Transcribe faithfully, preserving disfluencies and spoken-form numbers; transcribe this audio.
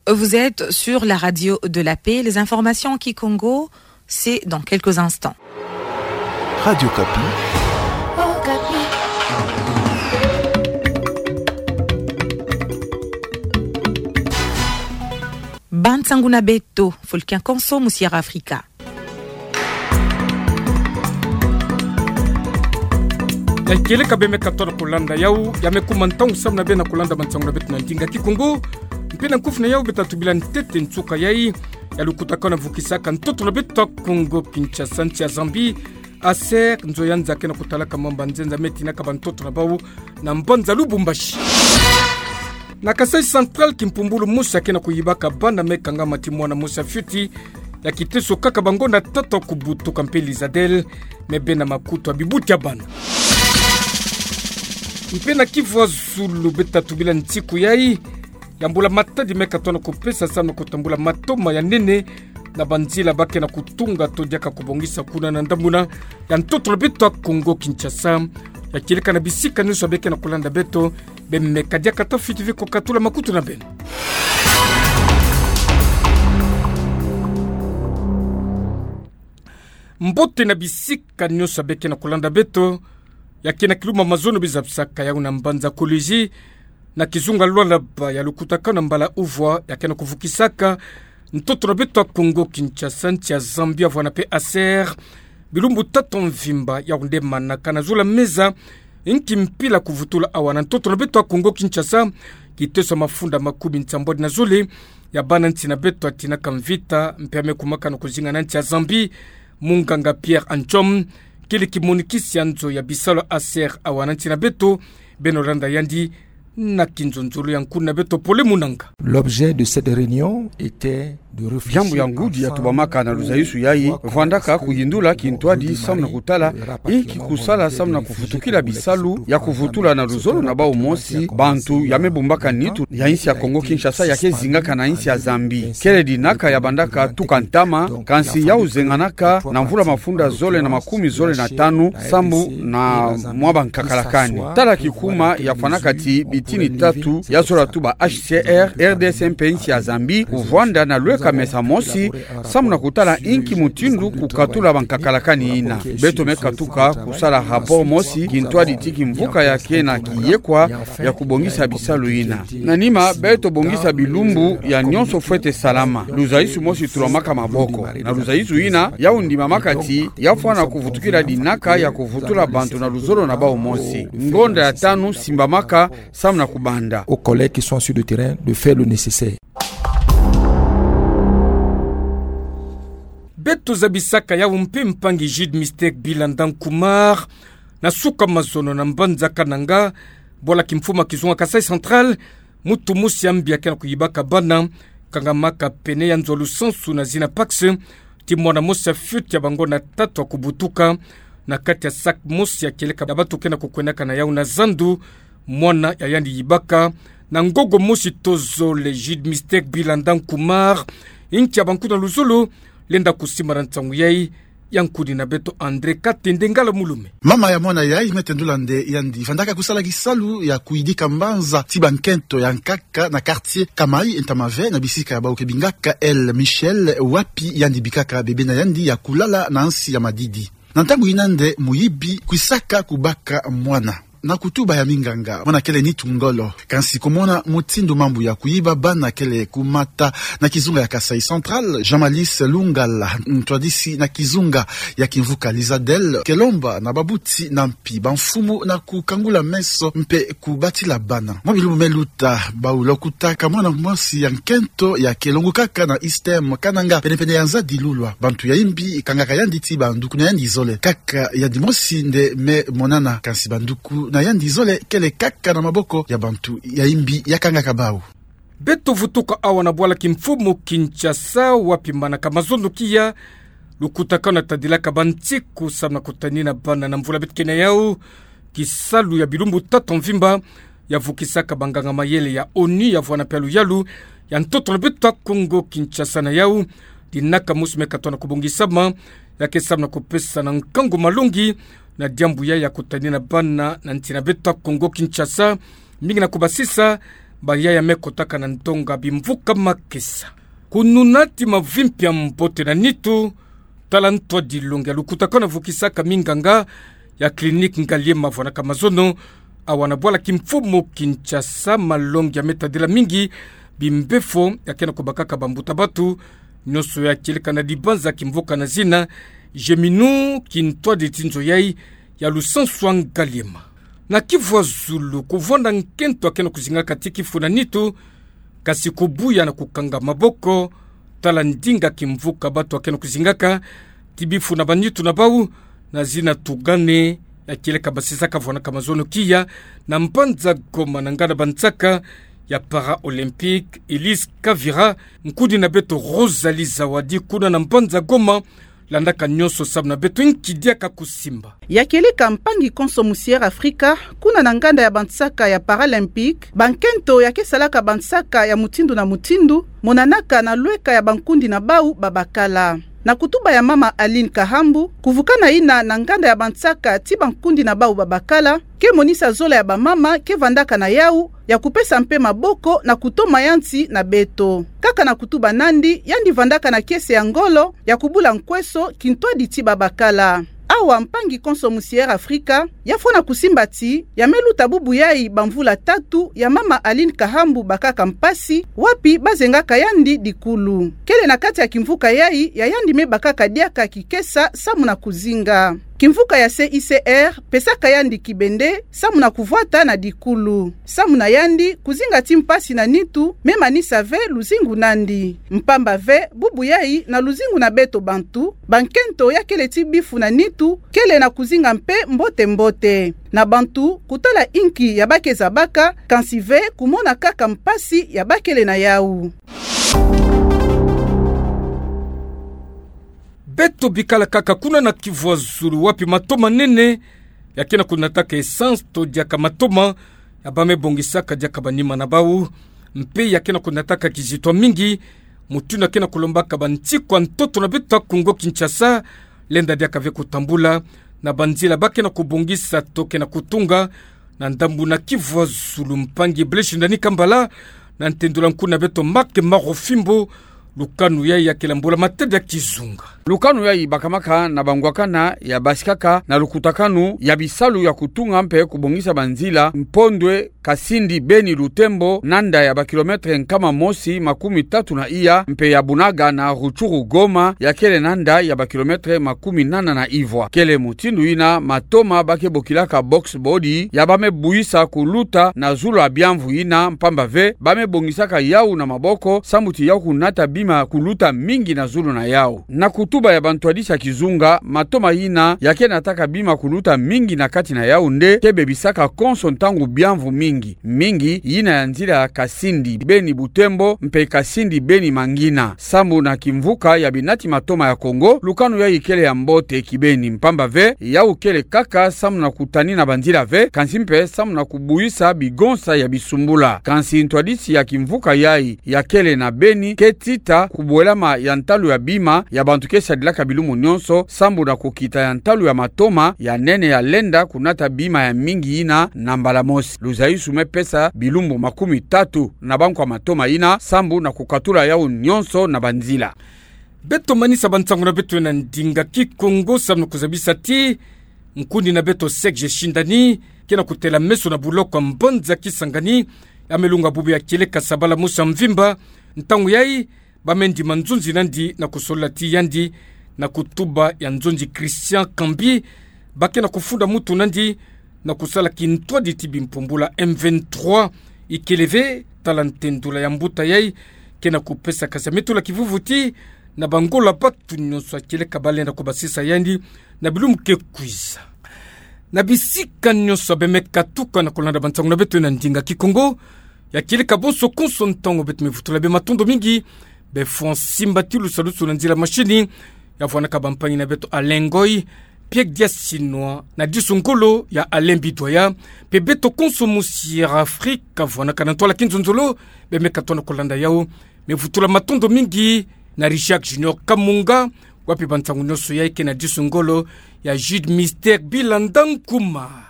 Vous êtes sur la radio de la paix. Les informations en kikongo, c'est dans quelques instants. Radio Okapi. Ba nsangu na beto, fulu kiakonso, musi ya Afrika. Ya kieleka beno me katoa na kulanda yau, ya me kuma ntangu samu na beno na kulanda mansangu na beto na ndinga kikongo. Mpe na nkufi na yau beta tubila ntete nsuka yai ya lukutakano vukisaka ntoto na beto ya Kongo Kinshasa, nsi ya Zambie, ASER, nzo ya nza ke na kutalaka mamba nzenza me tinaka ba ntoto na bau na mbanza Lubumbashi. Na Kasaï Central, kimpumbulu mosi ya ke na kuyibaka bana me kangama ti mwana mosi ya fioti, ya kiteso kaka ba ngonda tatu ya kubutuka mpe Lizadel, me bena makutu ya bibuti ya bana. Mpe na Kivu ya Zulu beta tubila nsiku yai ya mbula-matadi me katoa na kupesa samu na kutambula matoma ya nene na banzila ba ke na kutunga to diaka kubongisa kuna na ndamuna ya ntoto na beto ya Kongo Kinshasa. Ya kieleka na bisika nyonso be ke na kulanda beto, beno me kadiaka ta fiti vi kukatula makutu na beno. Mbote na bisika nyonso be ke na kulanda beto. Ya ke na kilumbu mazono bizabisaka yau na mbanza Kolwezi, na kizunga Lualaba, ya lukutakano na mbala uvwa ya ke na kuvukisaka ntoto na beto ya Kongo Kinshasa, nsi ya Zambie, vwanda mpe ASER, bilumbu tatu mvimba. Yau nde manaka na zula meza, inki mpila kuvutula awa na ntoto na beto ya Kongo Kinshasa, kiteso ya mafunda makumi nsambwadi na zole ya bana nsi na beto ya tinaka mvita mpe ya me kumaka na kuzinga na nsi ya Zambie. Munganga Pierre Anchom, kele kimonikisi ya nzo ya bisalu ya ASER awa na nsi na beto, beno landa yandi na kinzonzolo ya nkuni na beto Pole Munanga. L'objet de cette réunion était de réfléchir ensemble. Diambu ya ngudi ya tubamaka na luzayisu yai, vwandaka kuyindula kintwadi samu na kutala inki kusala samu na kuvutukila bisalu ya kuvutula na luzolo na bau mosi bantu ya me bumbaka nitu ya insi ya Kongo Kinshasa ya ke zingaka na insi ya Zambie. Kele dinaka ya bandaka tuka ntama, kansi yau zenganaka na mvula mafunda zole na makumi zole na tanu, sambu na mwa bankakalakani. Tala kikuma ya fwanaka ti bitini tatu ya zola tuba H C R, R D C mpe insi ya Zambie, kuvwanda na lweka mesa mosi, samu na kutala inki mutindu kukatula bankakalakani yina. Beto me katuka kusala rapport mosi, kintwadi ti kimvuka ya ke na kiyekwa ya kubongisa bisalu yina. Na nima, beto bongisa bilumbu ya nyonso fwete salama. Luzayisu mosi tulamaka maboko. Na luzayisu yina, yau ndimamaka ti ya fwana kuvutukila dinaka ya kuvutula bantu na luzolo na bau mosi. Ngonda ya tanu simbamaka samu na kubanda. Aux collègues qui sont sur le terrain de faire le nécessaire. Beto zabisaka yau mpe mpangi Jude Mystère Bilanda Nkumar, na suka mazono na mbanza Kananga, bwala kimfumu ya kizunga Kasaï Central, mutu mosi ya mbi ya ke na kuyibaka bana, kangamaka pene ya nzo ya lusansu na zina Pax, ti mwana mosi ya fioti ya ba ngonda tatu ya kubutuka, na kati ya sac mosi ya kieleka ya bantu ke na kukwendaka na yau na zandu, mwana ya yandi yibaka na ngogo mosi to zole. Jude Mystère Bilanda Nkumar, inki ya bankuna luzolo, lenda kusimbana nsangu yai, ya nkuni na beto André Katende Ngala Mulume. Mama ya mwana yai me tendula nde yandi vandaka kusala kisalu ya kuyidika mbanza ti bankento ya nkaka na quartier Kamai Ntamave na bisika ya bau ke bingaka El Michel, wapi yandi bikaka bebe na yandi ya kulala na nsi ya madidi. Na ntangu yina nde muyibi kwisaka kubaka mwana. Na kutuba ya minganga, mwana kele nitu ngolo. Kansi kumona mutindu mambu ya kuyiba bana kele kumata na kizunga ya Kasaï Central, Jean Malice Lungala, ntwadisi na kizunga ya kimvuka Lizadel, ke lomba na babuti na mpi, bamfumu na kukangula meso mpe kubatila bana. Mwa bilumbu me luta, bau lokutaka mwana mosi ya nkento ya ke longukaka na ISTEM Kananga, penepene ya nza Dilulwa. Bantu ya imbi kangaka yandi ti banduku na yandi zole. Kaka yandi mosi nde me monana, kansi banduku na yandi zole kele kaka na maboko ya bantu ya imbi ya kangaka bau. Beto vutuka awa na bwala kimfumu Kinshasa, wapi manaka mazono kia lukutakano tadilaka bansiku samu na kutanina bana na mvula beto ke na yau, kisalu ya bilumbu tatu mvimba ya vukisaka banganga mayele ya ONU ya vwanda mpe ya luyalu ya ntoto na beto ya Kongo Kinshasa na yau, dinaka mosi me katoa na kubongisama, ya ke samu na kupesa na nkangu malongi na diambu yai ya kutanina bana na nsi na beto ya Kongo Kinshasa, mingi na kubasisa Baya ya me kotaka na ndonga bimvuka makesa. Kununati mavimpi ya mbote na nitu, tala ntwadi longi ya lukutakano vukisaka minganga ya clinique Ngaliema vwanaka mazono, awa na bwala kimfumu Kinshasa, malongi ya me tadila mingi bimbefo ya ke na kubakaka bambuta-batu, nionso ya kieleka na dibanza kimvuka na zina Geminu, kintwaditi nzo yai ya lusansu a Ngaliema. Na Kivu ya zulu, kuvwanda nkento ya ke na kuzingaka ti kifu na nitu, kasi kubuya na kukanga maboko, tala ndinga kimvuka batu ya ke na kuzingaka ti bifu na banitu na bau, na zina Tugane, ya kieleka basisaka vwanaka mazono kia na mbanza Goma na nganda bansaka ya Para-Olympique, Elise Kavira, nkundi na beto Rosalie Zawadi kuna na mbanza Goma, landaka nionso samu na beto nki diaka kusimba. Ya kieleka mpangi konso musi Air Afrika, kuna na nganda ya bansaka ya Paralympique, bankento ya ke salaka bansaka ya mutindu na mutindu monanaka na lweka ya bankundi na bau babakala. Na kutuba ya mama Aline Kahambu, kuvukana yina na nganda ya bansaka ti bankundi na bau babakala, ke monisa zola ya bamama ke vandaka na yau, ya kupesa mpe maboko na kutoma ya nsi na beto. Kaka na kutuba nandi, yandi vandaka na kiese ya ngolo ya kubula nkweso kintwaditi babakala. Awa mpangi konso musi Air Afrika ya fwana kusimba ti ya me luta bubu yai bamvula tatu ya mama Aline Kahambu bakaka mpasi, wapi bazengaka yandi dikulu. Kele na kati ya kimvuka yai ya yandi me bakaka diaka kikesa samu na kuzinga. Kimvuka ya C I C R pesaka yandi kibende samu na kuvwata na dikulu. Samu na yandi, kuzinga ti mpasi na nitu me manisa ve luzingu nandi. Mpamba ve, bubu yai na luzingu na beto bantu, bankento ya kele ti bifu na nitu, kele na kuzinga mpe mbote-mbote. Na bantu, kutala inki ya ba ke zabaka, kansi ve kumona kaka mpasi ya ba kele na yau. Beto bikala kaka kuna na Kivu ya zulu, wapi matoma nene ya ke na kunataka essence to diaka matoma ya ba me bongisaka diaka banima na bau, mpe ya ke na kunataka kizito mingi, mutindu ya ke na kulombaka bansiku ya ntoto na beto ya Kongo Kinshasa lenda diaka ve kutambula na banzila ba ke na kubongisa to ke na kutunga na ndambu na Kivu ya zulu. Mpangi Blaise Ndani Kambala, na ntendula nkundi na beto Marc Marofimbo, lukanu yai ya kele mbula-matadi ya kizunga. Lukanu yai bakamaka na bangwakana ya basikaka na lukutakanu ya bisalu ya kutunga mpe kubongisa banzila Mpondwe, Kasindi, Beni, Lutembo, na nda ya bakilometre nkama mosi makumi tatu na iya, mpe ya Bunaga na Rutshuru, Goma, ya kele na nda ya bakilometre makumi nana na ivwa. Kele mutindu yina matoma ba ke bokilaka box body ya ba me buisa kuluta na zulu ya biamvu yina, mpamba ve ba me bongisaka yau na maboko, sambu ti yau kunata bima kuluta mingi na zulu na yau. Na kutuba ya bantwadisi ya kizunga, matoma yina ya ke nataka bima kuluta mingi na kati na yau nde ke bebisaka konso ntangu biamvu mingi mingi yina ya nzila ya Kasindi Beni Butembo mpe Kasindi Beni Mangina, sambu na kimvuka ya binati matoma ya Kongo. Lukanu yai kele ya mbote kibeni, mpamba ve yau kele kaka sambu na kutanina banzila ve, kansi mpe sambu na kubuisa bigonsa ya bisumbula. Kansi ntwadisi ya kimvuka yai ya kele na Beni ke tita kubwelama ya ntalu ya bima ya bantu ke sadilaka bilumbu nionso, sambu na kukita ya ntalu ya matoma ya nene ya lenda kunata bima ya mingi yina na mbala mosi. Luzaisu me pesa bilumbu makumi tatu na bankwa matoma yina, sambu na kukatula yau nionso na banzila. Beto manisa bansangu na beto na ndinga Kikongo, sambu na kuzabisa ti nkundi na beto Serge Shindani ke na kutela meso na buloko ya mbanza Kisangani, ya me lunga bubu ya kieleka sabala mosi ya mvimba, ntangu yai ba me ndima nzonzi nandi na kusolola ti yandi na kutuba ya nzonzi Christian Kambi, ba ke na kufunda mutu nandi na kusala kintwadi ti bimpumbula M vingt-trois. Ikele ve tala ntendula ya mbuta yai ke na kupesa kasametula kivuvuti na bangola batu nionso ya kieleka ba lenda kubasisa yandi na bilumbu ke kwiza. Na bisika nionso ba me katuka na kulanda bansangu na beto na ndinga Kikongo ya kieleka bonso konso ntangu, beto me vutula be matondo mingi be fwa nsimba ti lusalusu na nzila mashini ya vwanaka bampangi na beto Alain Ngoy, Pierre Diassinwa na disu ngolo ya Alain Bidwaya, mpe beto konso musi Air Afrika vwanaka na ntwala kinzonzolo be me katuka na kulanda yau. Me vutula matondo mingi na Richard Junior Kamunga, wapi bansangu nionso yai ke na disu ngolo ya Jude Mister Bilanda Nkuma.